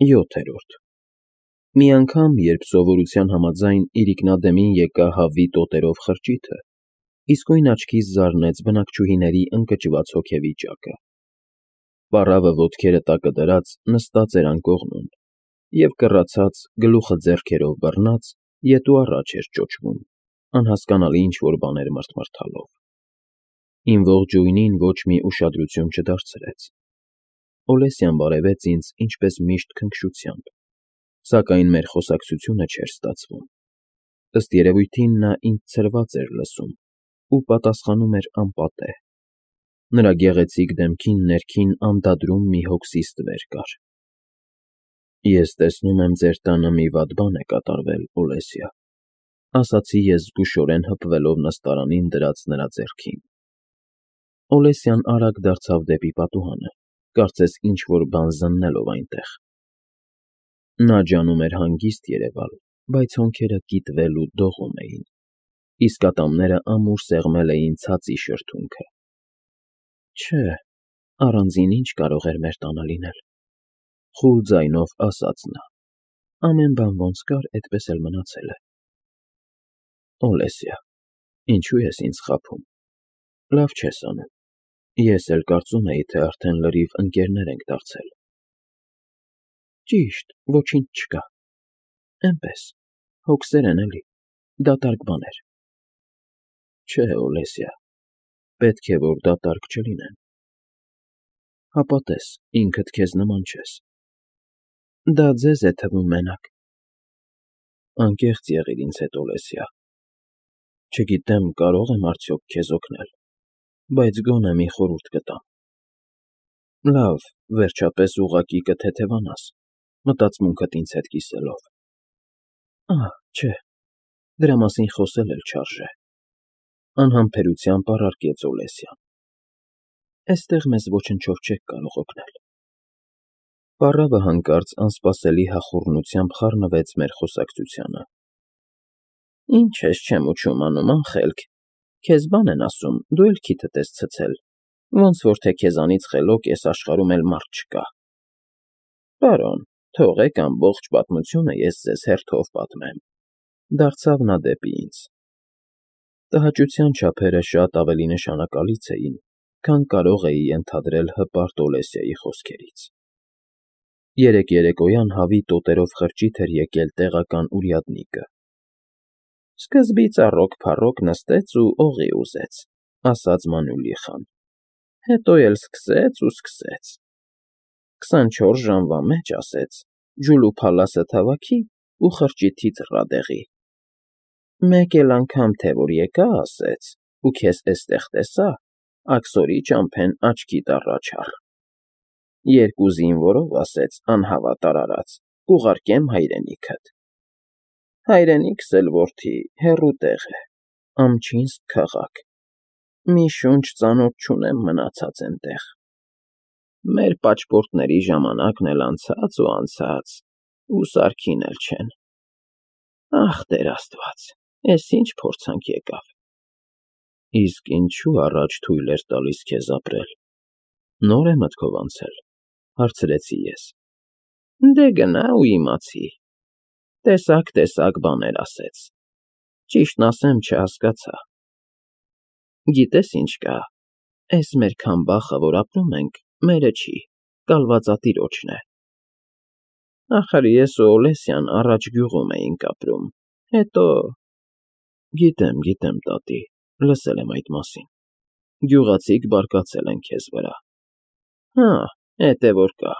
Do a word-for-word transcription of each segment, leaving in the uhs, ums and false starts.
յոթերորդ Մի անգամ, երբ սովորության համաձայն իրիկնադեմին եկա հավի տոտերով խրճիթը, իսկույն աչքիս զարնեց բնակչուհիների ընկճված հոգեվիճակը. պառավը ոտքերը տակը դրած նստած էր անկողնում և կռացած, գլուխը ձեռքերով բռնած, ետ ու առաջ էր ճոճվում, անհասկանալի ինչ-որ բաներ մռթմռթալով: Իմ ողջույնին ոչ մի ուշադրություն չդարձրեց: Օլեսյան բարևեց ինձ ինչպես միշտ քնքշությամբ, սակայն մեր խոսակցությունը չէր ստացվում: Ըստ երևույթին նա ինձ ցրված էր լսում ու պատասխանում էր անպատեհ: Նրա գեղեցիկ դեմքին ներքին անդադրում մի հոգսի ստվեր կար: Ես տեսնում եմ ձեր տանը մի վատ բան է կատարվել, Օլեսյա, ասացի ես զգուշորեն հպվելով նստարանին դրած նրա ձեռքին: Օլեսյան արագ դարձավ դեպի պատուհանը, կարծես ինչ-որ բան զննելով այնտեղ: Նա ջանում էր հանգիստ երևալ, բայց հոնքերը կիտվել ու դողում էին, իսկ ատամները ամուր սեղմել էին ցածի շրթունքը: Չէ, առանձին ի՞նչ կարող էր մեր տանը լինել: Խուլ ձայնով ասաց նա: Ամեն բան ոնց կար, էդպես էլ մնացել է: Օլեսյա, ինչո՞ւ ես ինձ խաբում: Լավ չես անում: Ես էլ կարծում էի, թե արդեն լրիվ ընկերներ ենք դարձել: Ճիշտ, ոչինչ չկա: Էնպես, հոգսեր են էլի, դատարկ բաներ: Չէ, Օլեսյա, պետք է որ դատարկ չլինեն: Հապա տես, ինքդ քեզ նման չես: Դա ձեզ է թվում մենակ: Անկեղծ եղիր ինձ հետ, Օլեսյա: Չգիտեմ կարո՞ղ եմ արդյոք քեզ օգնել, բայց գոնե մի խորհուրդ կտամ: Լավ, վերջապես ուղղակի կթեթևանաս, մտածմունքդ ինձ հետ կիսելով: Ահ, չէ, դրա մասին խոսել էլ չարժե: Անհամբերությամբ առարկեց Օլեսյան: Էստեղ մեզ ոչնչով չեք կարող օգնել: Պառավը հանկարծ անսպասելի հախուռնությամբ խառնվեց մեր խոսակցությանը: Ինչ ես չեմ ուչում անում, անխելք, քեզ բան են ասում, դու էլ քիթդ ես ցցել, ոնց որ թե քեզանից խելոք էս աշխարհում էլ մարդ չկա: Պարոն, թողեք ամբողջ պատմությունը ես ձեզ հերթով պատմեմ: Դարձավ նա դեպի ինձ: Տհաճության չափերը շատ ավելի նշանակալից էին, քան կարող էի ենթադրել հպարտ Օլեսյայի խոսքերից: Երեկ երեկոյան հավի տոտերով խրճիթ էր եկել տեղական уряднիկը: Սկզբից առոք-փառոք նստեց ու օղի ուզեց, ասաց Մանուլիխան: Հետո էլ սկսեց ու սկսեց: Քսանչորս ժամվա մեջ, ասեց, ջուլուփալասը թավաքի ու խրճիթի ծռա դեղի: Մեկ էլ անգամ թե որ եկա, ասեց, ու քեզ էստեղ տեսա, աքսորի ճամփեն աչքիդ առաջ առ: Երկու զինվորով, ասեց, անհավատ արարած, կուղարկեմ հայրենիքդ: Հայրենիքս էլ, որդի, հեռու տեղ է, Ամչինսկ քաղաք: Մի շունչ ծանոթ չունեմ մնացած էնտեղ: Մեր պաչպորտների ժամանակն էլ անցած ու անցած, ու սարքին էլ չեն: Ախ, Տեր Աստված, էս ինչ փորձանք եկավ: Իսկ ինչու առաջ թույլ էր տալիս քեզ ապրել: Նոր է մտքով անցել: Հարցրեցի ես: Դե գնա ու իմացի: Տեսակ-տեսակ բաներ ասեց: Ճիշտն ասեմ, չհասկացա: Գիտես ինչ կա, էս մեր քամբախը, որ ապրում ենք, մերը չի, կալվածատիրոջն է: Ախր ես ու Օլեսյան առաջ գյուղում էինք ապրում, հետո… Գիտեմ, գիտեմ, տատի, լսել եմ այդ մասին: Գյուղացիք բարկացել են քեզ վրա: Հա, էդ է որ կա: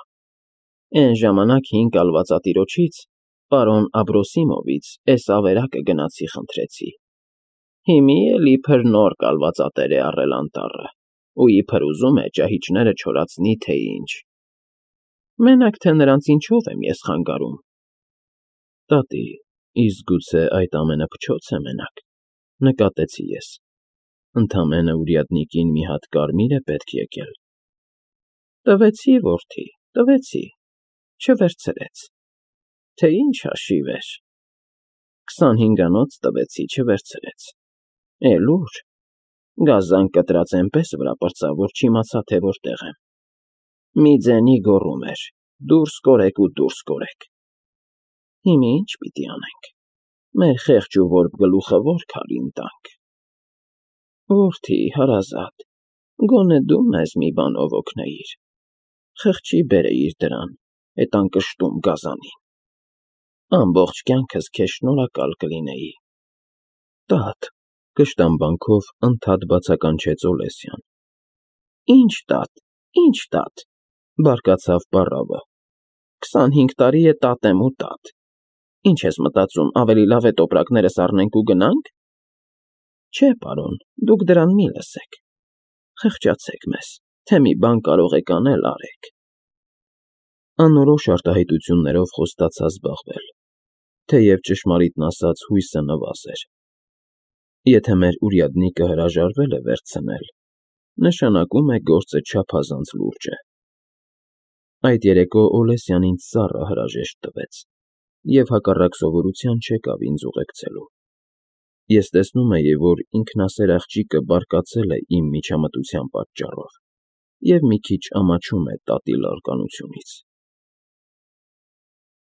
Էն ժամանակ հին կալվածատիրոջից, պարոն Աբրոսիմովից, էս ավերակը գնացի խնդրեցի: Հիմի էլ իբր նոր կալվածատեր է առել անտառը ու իբր ուզում է ճահիճները չորացնի, թե ինչ: Մենակ թե նրանց ինչով եմ ես խանգարում: Տատի, իսկ գուցե այդ ամենը փչոց է մենակ, նկատեցի ես: Ընդամենը урядникին մի հատ կարմիր է պետք եկել: Տվեցի, որդի, տվեցի, չվերցրեց: Թե ինչ հաշիվ էր: Քսանհինգանոց տվեցի, չվերցրեց: Էլ ուր: Գազան կտրած էնպես վրա պրծավ, որ չիմացա, թե որտեղ եմ: Մի ձենի գոռում էր, Դուրս կորեք ու դուրս կորեք։ Հիմա ի՞նչ պիտի անենք։ Մեր խեղճ ու որբ գլուխը ո՞ր քարին տանք։ Որդի հարազատ, գոնե դու մեզ մի բանով օգնեիր, խղճի բերեիր դրան, էդ անկշտում գազանին։ Ամբողջ կյանքս քեզ շնորհակալ կլինեի։ Տա՛տ, կշտամբանքով ընդհատ բացականչեց Օլեսյան։ Ինչ տատ, ինչ տատ, բարկացավ պառավը։ Քսանհինգ տարի է տատ եմ ու տատ։ Ինչ ես մտածում, ավելի լավ է տոպրակներս առնենք ու գնա՞նք։ Չէ, պարոն, դուք դրան մի լսեք։ Խղճացեք մեզ, թե մի բան կարող եք անել, արեք։ Անորոշ արտահայտություններով խոստացա զբաղվել, թեև ճշմարիտն ասած հույսը նվազ էր։ Եթե մեր уряднիկը հրաժարվել է վերցնել, նշանակում է գործը չափազանց լուրջ է։ Այդ երեկո Օլեսյան ինձ ծառը հրաժեշտ տվեց և հակառակ սովորության չեկավ ինձ ուղեկցելու։ Ես տեսնում էի, որ ինքնասեր աղջիկը բարկացել է իմ միջամտության պատճառով և մի քիչ ամաչում է տատի լարկանությունից։